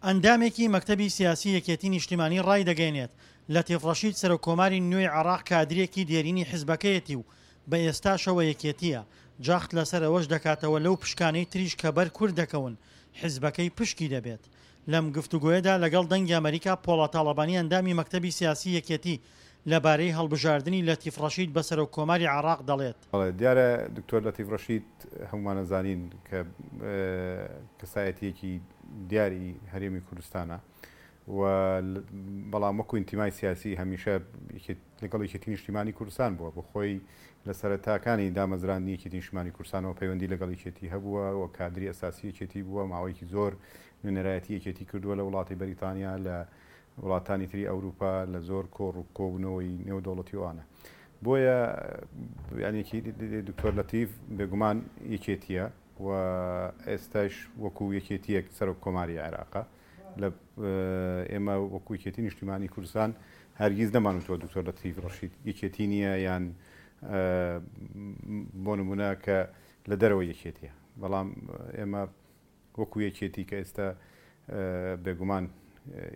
ئەندامێکی مەکتەبی سیاسی یەکێتی نیشتیمانی ڕایدەگەیەنێت، لەتیف ڕەشید سەرۆک کۆماری نوێی عێراق کادرێکی دێرینی حزبەکەیەتی و بە ئێستاشەوە یەکێتییە، جەخت لەسەر ئەوەش دەکاتەوە لەو پشکانەی تریش کە بەر کورد دەکەون حزبەکەی پشکی دەبێت. لەم گفتوگۆیەدا لەگەڵ دەنگی ئەمەریکا پۆڵا تاڵەبانی ئەندامی مەکتەبی سیاسی یەکێتی لەبارەی هەڵبژاردنی لەتیف ڕەشید بە سەرۆک کۆماری عێراق دەڵێت. بەڵێ دیارە دکتۆر لەتیف ڕەشید هەموومان ئەزانین کە کەسایەتییەکی دیاری هەرێمی کوردستانە و بەڵام وەکو ئینتیمای سیاسی هەمیشە لەگەڵ یەکێتی نیشتیمانی کوردستان بووە بۆ خۆی لە سەرەتاکانی دامەزراندنی یەکێتی نیشتیمانی کوردستانەوە پەیوەندی لەگەڵ یەکێتی هەبووە و کادری ئەساسی یەکێتی بووە ماوەیەکی زۆر نوێنەرایەتی یەکێتی کردووە لە وڵاتی بەریتانیا لە وڵاتانی تری ئەوروپا لە زۆر کۆڕ و کۆبوونەوەی نێودەوڵەتی و ئەوانە. بۆیە یانی دکتۆر لەتیف بێگومان یەکێتییە و ئێستاش وەکو یەکێتییەک سەرۆک کۆماری عێراقە. لە ئێمە وەکو یەکێتی نیشتیمانی کوردستان هەرگیز نەمانوتووە دکتۆر لەتیف ڕەشید یەکێتی نییە یان بۆ نمونە کە لە دەرەوەی یەکێتیە. بەڵام ئێمە وەکو یەکێتی کە ئێستا بێگومان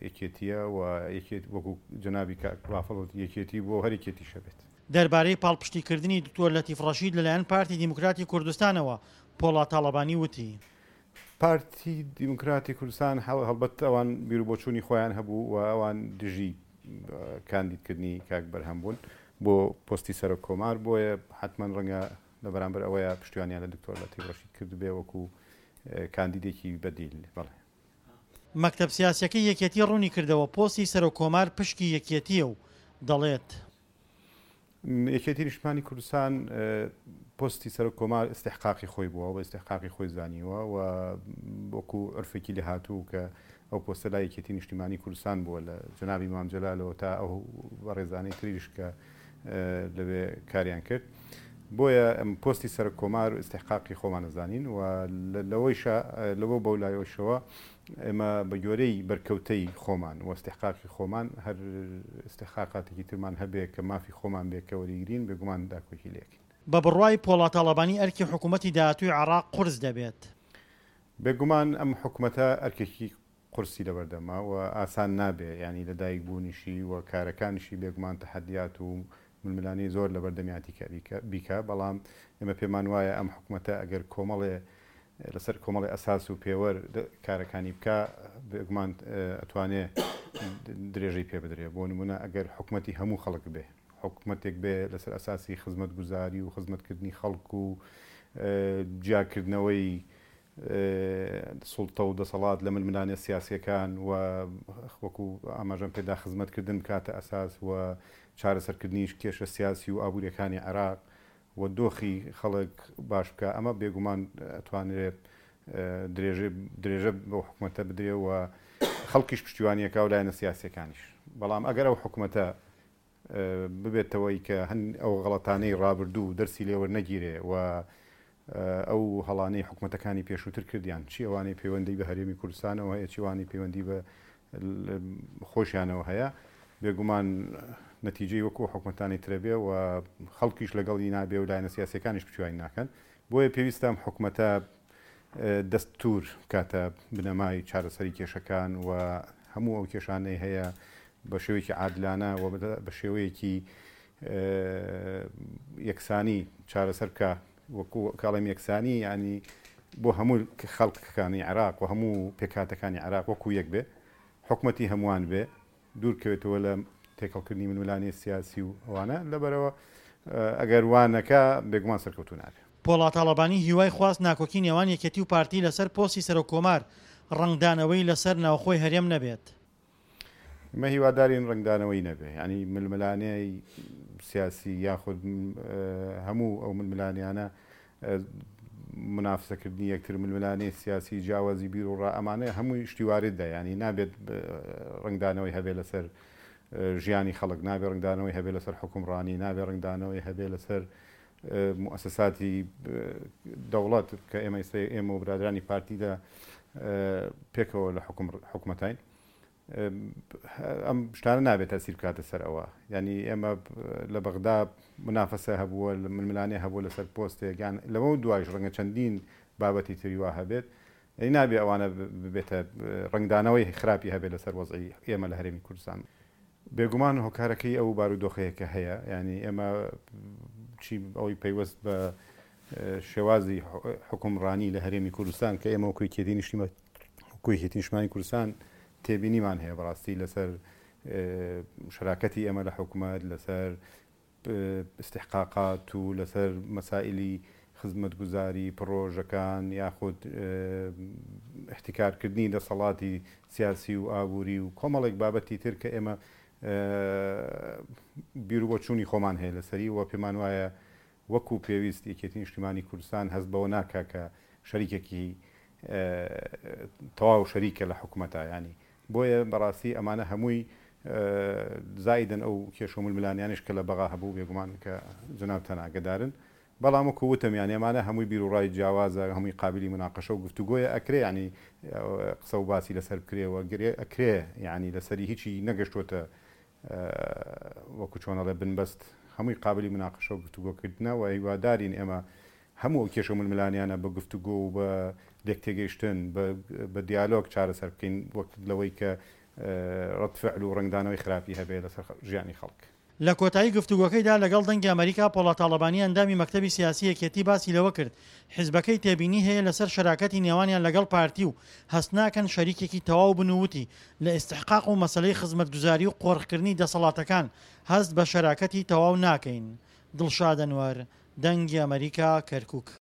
یەکێتیە و یەکێت وەکو جەنابی کاک بافڵ وتی یەکێتی بووە و هەر یەکێتیشە بێت. دەربارەی پاڵپشتیکردنی دکتۆر لەتیف ڕەشید لەلایەن پارتی دیموکراتی کوردستانەوە، پۆڵا تاڵەبانی وتی. پارتی دیموکراتی کوردستان هەڵبەت ئەوان بیروبۆچوونی خۆیان هەبوو و ئەوان دژی کاندیدکردنی کاک بەرهەم بوون بۆ پۆستی سەرۆک کۆمار، بۆیە حەتمەن ڕەنگە لە بەرامبەر ئەوەیا پشتیوانیان لە دکتۆر لەتیف ڕەشید کردبێ وەکو کاندیدێکی بەدیل. بەڵێ. مەکتەب سیاسیەکەی یەکێتی ڕوونیکردەوە، پۆستی سەرۆک کۆمار پشکی یەکێتییە و دەڵێت. یەکێتی نیشتمانی کوردستان پۆستی سەرۆک کۆمار ئیستیحقاقی خۆی بووە و بە ئیستیحقاقی خۆی زانیوە و وەکو عورفێکی لێهاتوو کە ئەو پۆستە لای یەکێتی نیشتیمانی کوردستان بووە لە جەنابی مام جەلالەوە تا ئەو بەڕێزانەی تریش کە لەوێ کاریان کرد بۆیە ئەم پۆستی سەرۆک کۆمار ئیستیحقاقی خۆمان ئەزانین و لەوەیشا لەوە بەولایەوەشەوە ئێمە بە گوێرەی بەرکەوتەی خۆمان و ئیستیحقاقی خۆمان هەر ئیستیحقاقاتێکی ترمان هەبێ کە مافی خۆمان بێ کە وەریگرین بێگومان داکۆکی لێکەین. بە بڕوای پۆڵا تاڵەبانی ئەرکی حکوومەتی داهاتووی عێراق قورس دەبێت. بێگومان ئەم حکومەتە ئەرکێکی قورسی لەبەردەمە و ئاسان نابێ، یانی لەدایک بوونیشی و کارەکانیشی بێگومان تەحەدیات و ململانێی زۆر لەبەردەمیاتی کە بیکا، بەڵام ئێمە پێمان وایە ئەم حکومەتە ئەگەر کۆمەڵێ لەسەر کۆمەڵێ ئەساس و پێوەر کارەکانی بکا بێگومان ئەتوانێ درێژەی پێ بدرێ، بۆ نمونە ئەگەر حکومەتی هەموو خەڵک بێ، حکومەتێک بێ لەسەر ئەساسی خزمەتگوزاری و خزمەتکردنی خەڵک و جیاکردنەوەی سوڵتە و دەسەڵات لە ململانێ سیاسییەکان و وەکو ئاماژەم پێدا خزمەتکردن بکاتە ئەساس و چارەسەرکردنی کێشە سیاسی و ئابوورییەکانی عێراق و دۆخی خەڵک باش بکا ئەمە بێگومان ئەتوانرێ درێژە بەو حکومەتە بدرێ و خەڵکیش پشتیوانیەکا و لایەنە سیاسییەکانیش بەڵام ئەگەر ئەو حکومەتە ببێتەوەی کە هەن ئەو غەڵەتانەی ڕابردوو دەرسی لێ وەرنەگیرێ و ئەو هەڵانەی حکومەتەکانی پێشووتر کردیان، چی ئەوانەی پەیوەندی بە هەرێمی کوردستانەوە هەیە، چی ئەوانەی پەیوەندی بە خۆشیانەوە هەیە، بێگومان نەتیجەی وەکو حکومەتانی ترە بێ و خەڵکیش لەگەڵی نابێ و لایەنە سیاسیەکانیش پشتیوانی ناکەن. بۆیە پێویستە ئەم حکومەتە دەستور بکاتە بنەمای چارەسەری کێشەکان و هەموو ئەو کێشانەی هەیە بە شێوەیەکی عادلانە و بە شێوەیەکی یەکسانی چارەسەر بکا. وەکو کاڵێم یەکسانی یعنی بۆ هەموو خەڵکەکانی عێراق و هەموو پێکهاتەکانی عێراق وەکو یەک بێ، حکومەتی هەمووان بێ، دوور کەوێتەوە لە تێکەڵکردنی ململانێ سیاسی و ئەوانە، لەبەرئەوە ئەگەر وا نەکا بێگومان سەرکەوتوو نابێ. پۆڵا تاڵەبانی هیوای خواست ناکۆکی نێوان یەکێتی و پارتی لەسەر پۆستی سەرۆک کۆمار ڕەنگدانەوەی لەسەر ناوخۆی هەرێم نەبێت. ئێمە هیوادارین ڕەنگدانەوەی نەبێ، یانی ململانێی سیاسی یاخود هەموو ئەو ململانێیانە مونافسەکردنی یەکتر، ململانێی سیاسی، جیاوازی بیروڕا، ئەمانە هەمووی شتی واردە، یانی نابێت ڕەنگدانەوەی هەبێ لەسەر ژیانی خەڵک، نابێ ڕەنگدانەوەی هەبێ لەسەر حوکمڕانی، نابێ ڕەنگدانەوەی هەبێ لەسەر موئەسەساتی دەوڵەت کە ئێمە ئێستا ئێمە و برادرانی پارتی لە پێکەوە لە حکومەتین. ئەم شتانە نابێت تەسیر بکاتە سەر ئەوە یعنی ئێمە لە بەغدا منافەسە هەبووە ململانێ هەبوو لەسەر پۆستێک یان لەوە دوایش ڕەنگە چەندین بابەتی تری وا هەبێت. یانی نابێ ئەوانە ببێتە ڕەنگدانەوەی خراپی هەبێ لەسەر وەزعی ئێمە لە هەرێمی کوردستان. بێگومان هۆکارەکەی ئەو بارودۆخەیە کە هەیە، یانی ئێمە چی ئەوەی پەیوەست بە شێوازی حوکمڕانی لە هەرێمی کوردستان کە ئێمە وەکو یەکێتی نیشتیمان وەکو یەکێتی نیشتمانی کوردستان تێبینیمان هەیە بەڕاستی لەسەر شەراکەتی ئێمە لە حکومەت لەسەر ئیستیحقاقات و لەسەر مەسائیلی خزمەتگوزاری، پڕۆژەکان یاخود ئیحتیکارکردنی دەسەڵاتی سیاسی و ئابووری و کۆمەڵێک بابەتی تر کە ئێمە بیروبۆچوونی خۆمان هەیە لەسەری و پێمان وایە وەکو پێویست یەکێتی نیشتیمانی کوردستان هەست بەوە ناکا کە شەریکێکی تەواو شەریکە لە حکومەتا یانی بۆیە بەڕاستی ئەمانە هەمووی زائیدەن ئەو کێشە و ململانیانەش کە لە بەغا هەبوو بێگومان کە جەنابتان ئاگەدارن بەڵام وەکو وتم یانی ئەمانە هەمووی بیروڕای جیاوازە هەمووی قابلی مناقەشە و گفتوگۆیە ئەکرێ یانی قسە و باسی لەسەر بکرێ و ئەکرێ یانی لەسەری هیچی نەگەشتۆتە وەکو چۆن ئەڵێ بنبەست هەمووی قابلی مناقەشە و گفتوگۆکردنە و هیوادارین ئێمە هەموو ئەو کێشە و ململانیانە بە گفتوگۆ و بە لێکتێگەیشتن بە دیالۆگ چارەسەر بکەین وەک لەوەی کە ڕەد فعل و ڕەنگدانەوەی خراپی هەبێ لەسەر ژیانی خەڵک. لە کۆتایی گفتوگۆکەیدا لەگەڵ دەنگی ئەمەریکا پۆڵا تاڵەبانی ئەندامی مەکتەبی سیاسی یەکێتی باسی لەوە کرد حیزبەکەی تێبینی هەیە لەسەر شەراکەتی نێوانیان لەگەڵ پارتی و هەست ناکەن شەریکێکی تەواو بن و وتی لە ئیستحقاق و مەسەلەی خزمەتگوزاری و قۆرخکردنی دەسەڵاتەکان هەست بە شەراکەتی تەواو ناکەین. دڵشاد ئەنوەر، دەنگی ئەمەریکا، کەرکوک.